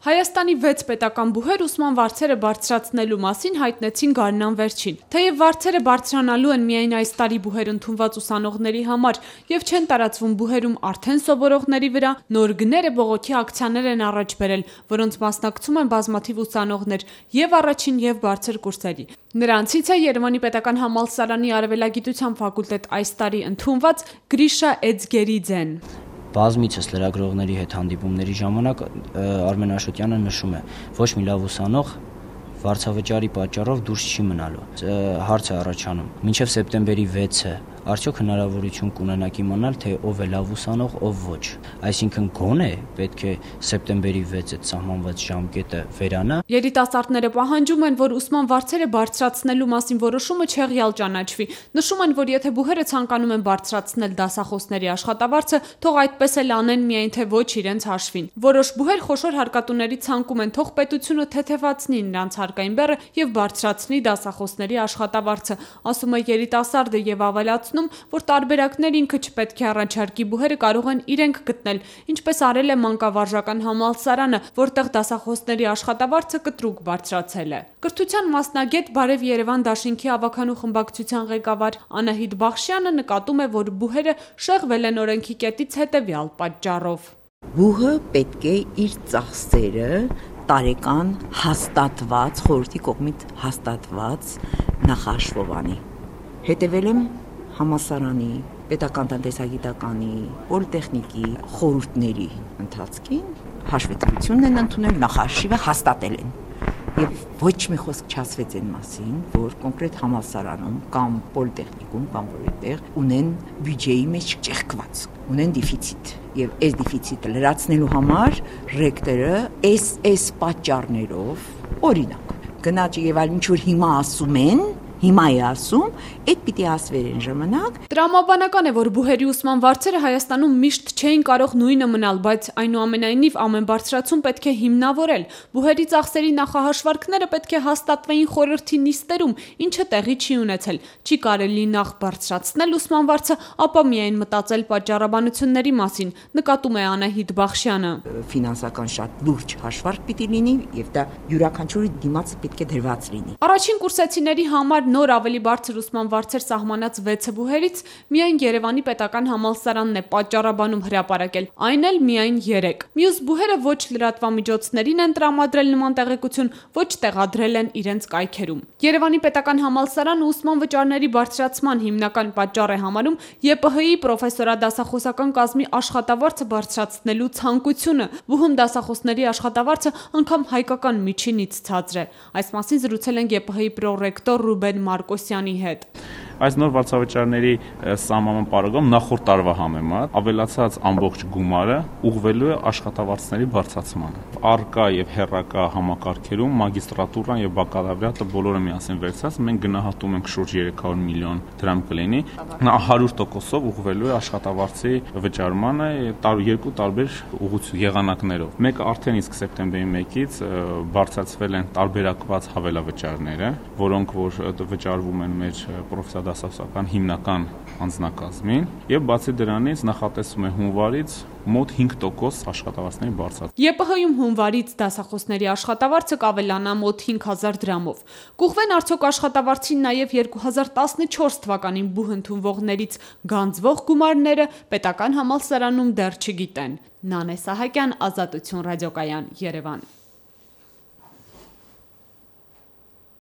Հայաստանի 6 պետական բուհեր ուսման վարձերը բարձրացնելու մասին հայտնեցին գարնան վերջին։ Թեև վարձերը բարձրանալու են միայն այս տարի բուհեր ընդունված ուսանողների համար եւ չեն տարածվում բուհերում արդեն սովորողների վրա, նոր գները բողոքի ակցիաներ են առաջ բերել, որոնց մասնակցում են բազմաթիվ ուսանողներ եւ առաջին եւ բարձր կուրսերի։ Նրանցից է Երևանի պետական համալսարանի արևելագիտության ֆակուլտետ այս տարի ընդունված Գրիշա Էձգերիձեն։ Բազմիցս լրագրողների հետ հանդիպումների ժամանակ Արմեն Աշոտյանը նշում է, ոչ մի լավ ուսանող վարձավճարի պատճառով դուրս չի մնալու։ Հարց է առաջանում, մինչև սեպտեմբերի 6-ը արդյոք հնարավորություն կունենաք իմանալ, թե ով է լավ ուսանող, ով ոչ։ Այսինքն գոնե պետք է սեպտեմբերի 6-ը սահմանված ժամկետը վերանա։ Երիտասարդները պահանջում են, որ ուսման վարձերը բարձրացնելու մասին որոշումը չեղյալ ճանաչվի։ Նշում են, որ եթե բուհերը ցանկանում են բարձրացնել դասախոսների աշխատավարձը, թող այդպես էլ անեն, միայն թե ոչ իրենց հաշվին։ Որոշ բուհեր խոշոր հարկատուների ցանկում են, թող պետությունը թեթևացնի նրանց հարկային բեռը եւ բարձրացնի դասախոսների աշխատավարձը, ասում է երիտասարդը եւ ավելացնում, որ տարբերակներ ինքը չպետք է առաջարկի, բուհերը կարող են իրենք գտնել, ինչպես արել է մանկավարժական համալսարանը, որտեղ դասախոսների աշխատավարձը կտրուկ բարձրացել է։ Կրթության մասնագետ Բարև Երևան դաշինքի ավականու խմբակցության ղեկավար Անահիտ Բախշյանը նկատում է, որ բուհերը շեղվել են օրենքի կետից հետևյալ պատճառով։ Բուհը պետք է իր ծախսերը տարեկան հաստատված, խորհրդի կողմից հաստատված նախաշվով անի։ Հետևել եմ համալսարանի, պետական տնտեսագիտականի, պոլիտեխնիկի խորհուրդների ընթացքին, հաշվետվությունն են ընդունել, նախաշիվը հաստատել են։ Եվ ոչ մի խոսք չասվեց այն մասին, որ կոնկրետ համալսարանում կամ պոլիտեխնիկում կամ որտեղ ունեն բյուջեի մեջ ճեղքված, ունեն դեֆիցիտ։ Եվ այս դեֆիցիտը լրացնելու համար ռեկտորը այս պատճառներով, օրինակ, գնաճ եւ այլ ինչ որ հիմա է ասում, այդ պիտի ասվեր են ժամանակ։ Տրամաբանական է, որ բուհերի ուսման վարձերը Հայաստանում միշտ չէին կարող նույնը մնալ, բայց այնուամենայնիվ ամեն բարձրացում պետք է հիմնավորել։ Բուհերի ծախսերի նախահաշվարկները պետք է հաստատվեին խորհրդի նիստերում, ինչը տեղի չի ունեցել։ Չի կարելի նախ բարձրացնել ուսման վարձը, ապա միայն մտածել պատճառաբանությունների մասին, նկատում է Անահիտ Բախշյանը։ Ֆինանսական շատ լուրջ հաշվարկ պիտի լինի եւ դա յուրաքանչյուրի դիմաց պետք է դրված լինի։ Առաջին կուրսեցիների համար նոր ավելի բարձր ուսման վարձեր սահմանած 6 բուհերից միայն Երևանի պետական համալսարանն է պատճառաբանում հրապարակել, այն էլ միայն 3։ Մյուս բուհերը ոչ լրատվամիջոցներին են տրամադրել նման տեղեկություն, ոչ տեղադրել են իրենց կայքերում։ Երևանի պետական համալսարանը ուսման վճարների բարձրացման հիմնական պատճառ է համարում ԵՊՀ-ի պրոֆեսորադասախոսական կազմի աշխատավարձը բարձրացնելու ցանկությունը։ Բուհում դասախոսների աշխատավարձը անգամ հայկական միջինից ցածր է։ Այս մասին զրուցել են ԵՊՀ-ի պրոռեկտոր Ռուբեն Մարկոսյանի հետ։ Այս նոր վարձավճարների սահմանման պարագայում նախորդ տարվա համեմատ ավելացած ամբողջ գումարը ուղղվելու է աշխատավարձների բարձրացմանը։ Առկա եւ հեռակա համակարգերում մագիստրատուրան եւ բակալավրիատը բոլորը միասին վերցած մենք գնահատում ենք շուրջ 300 միլիոն դրամ կլինի։ Նա 100%-ով ուղղվելու է աշխատավարձի վճարմանը երկու տարբեր եղանակներով։ Մեկը արդեն իսկ սեպտեմբերի 1-ից բարձրացվել են տարբերակված հավելավճարները, որոնք որ վճարվում են մեր պրոֆեսորադասախոսական հիմնական անձնակազմին եւ բացի դրանից նախատեսվում է հունվարից մոտ 5% աշխատավարձների բարձրացում։ ԵՊՀ-ում հունվարից դասախոսների աշխատավարձը կավելանա մոտ 5000 դրամով։ Կուղվեն արդյոք աշխատավարձին նաև 2014 թվականին բուհ ընդունվողներից գանձվող գումարները պետական համալսարանում դեռ չգիտեն։ Նանե Սահակյան, Ազատություն ռադիոկայան, Երևան։